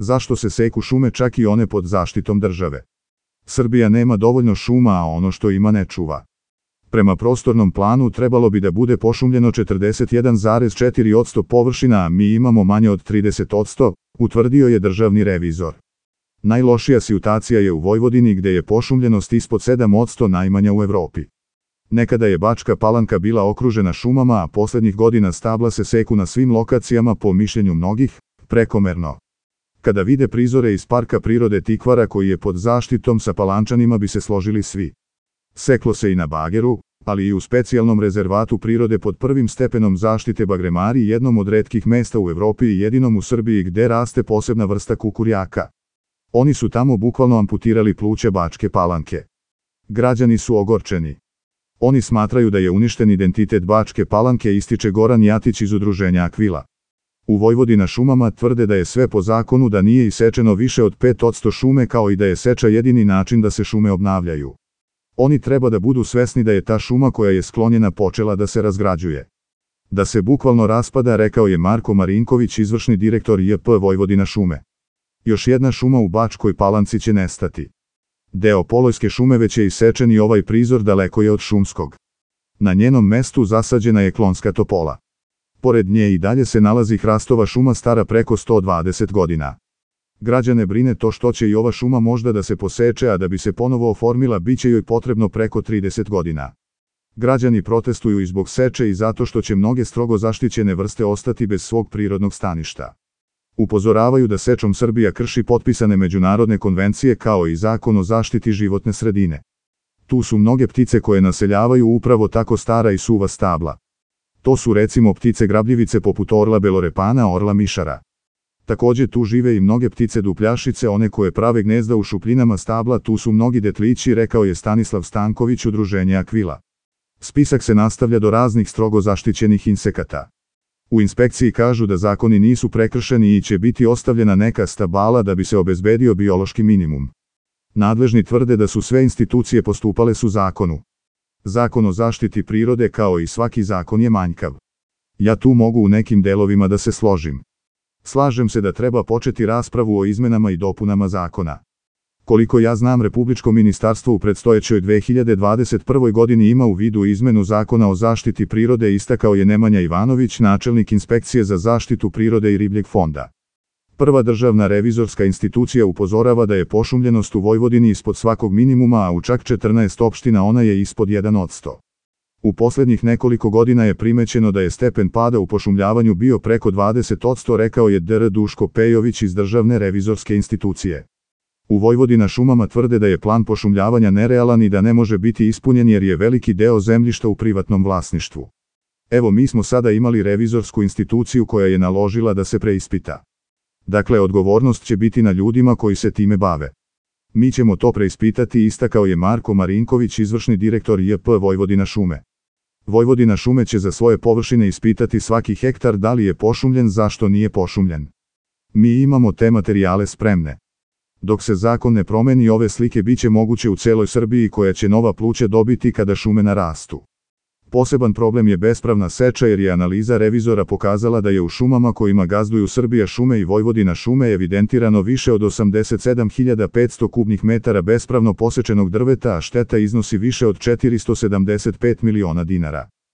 Zašto se seku šume čak i one pod zaštitom države? Srbija nema dovoljno šuma, a ono što ima ne čuva. Prema prostornom planu trebalo bi da bude pošumljeno 41,4% površina, a mi imamo manje od 30%, utvrdio je državni revizor. Najlošija situacija je u Vojvodini gde je pošumljenost ispod 7%, najmanja u Evropi. Nekada je Bačka Palanka bila okružena šumama, a poslednjih godina stabla se seku na svim lokacijama, po mišljenju mnogih, prekomerno. Kada vide prizore iz Parka prirode Tikvara koji je pod zaštitom, sa Palančanima bi se složili svi. Seklo se i na bageru, ali i u specijalnom rezervatu prirode pod prvim stepenom zaštite Bagremari, jednom od retkih mesta u Evropi i jedinom u Srbiji gde raste posebna vrsta kukurjaka. Oni su tamo bukvalno amputirali pluća Bačke Palanke. Građani su ogorčeni. Oni smatraju da je uništen identitet Bačke Palanke, ističe Goran Jatić iz udruženja Akvila. U Vojvodina šumama tvrde da je sve po zakonu, da nije isečeno više od 5% šume, kao i da je seča jedini način da se šume obnavljaju. Oni treba da budu svesni da je ta šuma koja je sklonjena počela da se razgrađuje. Da se bukvalno raspada, rekao je Marko Marinković, izvršni direktor JP Vojvodina šume. Još jedna šuma u Bačkoj Palanci će nestati. Deo Polojske šume već je isečen i ovaj prizor daleko je od šumskog. Na njenom mestu zasađena je klonska topola. Pored nje i dalje se nalazi hrastova šuma stara preko 120 godina. Građane brine to što će i ova šuma možda da se poseče, a da bi se ponovo oformila biće joj potrebno preko 30 godina. Građani protestuju i zbog seče i zato što će mnoge strogo zaštićene vrste ostati bez svog prirodnog staništa. Upozoravaju da sečom Srbija krši potpisane međunarodne konvencije kao i Zakon o zaštiti životne sredine. Tu su mnoge ptice koje naseljavaju upravo tako stara i suva stabla. To su recimo ptice grabljivice poput orla belorepana, orla mišara. Takođe tu žive i mnoge ptice dupljašice, one koje prave gnezda u šupljinama stabla, tu su mnogi detlići, rekao je Stanislav Stanković, udruženje Akvila. Spisak se nastavlja do raznih strogo zaštićenih insekata. U inspekciji kažu da zakoni nisu prekršeni i će biti ostavljena neka stabala da bi se obezbedio biološki minimum. Nadležni tvrde da su sve institucije postupale su zakonu. Zakon o zaštiti prirode kao i svaki zakon je manjkav. Ja tu mogu u nekim delovima da se složim. Slažem se da treba početi raspravu o izmenama i dopunama zakona. Koliko ja znam, Republičko ministarstvo u predstojećoj 2021. godini ima u vidu izmenu Zakona o zaštiti prirode, istakao je Nemanja Ivanović, načelnik Inspekcije za zaštitu prirode i ribljeg fonda. Prva državna revizorska institucija upozorava da je pošumljenost u Vojvodini ispod svakog minimuma, a u čak 14 opština ona je ispod 1%. U poslednjih nekoliko godina je primećeno da je stepen pada u pošumljavanju bio preko 20%, rekao je dr. Duško Pejović iz Državne revizorske institucije. U Vojvodina šumama tvrde da je plan pošumljavanja nerealan i da ne može biti ispunjen jer je veliki deo zemljišta u privatnom vlasništvu. Evo, mi smo sada imali revizorsku instituciju koja je naložila da se preispita. Dakle, odgovornost će biti na ljudima koji se time bave. Mi ćemo to preispitati, istakao je Marko Marinković, izvršni direktor JP Vojvodina šume. Vojvodina šume će za svoje površine ispitati svaki hektar da li je pošumljen, zašto nije pošumljen. Mi imamo te materijale spremne. Dok se zakon ne promeni, ove slike biće moguće u celoj Srbiji koja će nova pluća dobiti kada šume narastu. Poseban problem je bespravna seča jer je analiza revizora pokazala da je u šumama kojima gazduju Srbija šume i Vojvodina šume evidentirano više od 87.500 kubnih metara bespravno posečenog drveta, a šteta iznosi više od 475 miliona dinara.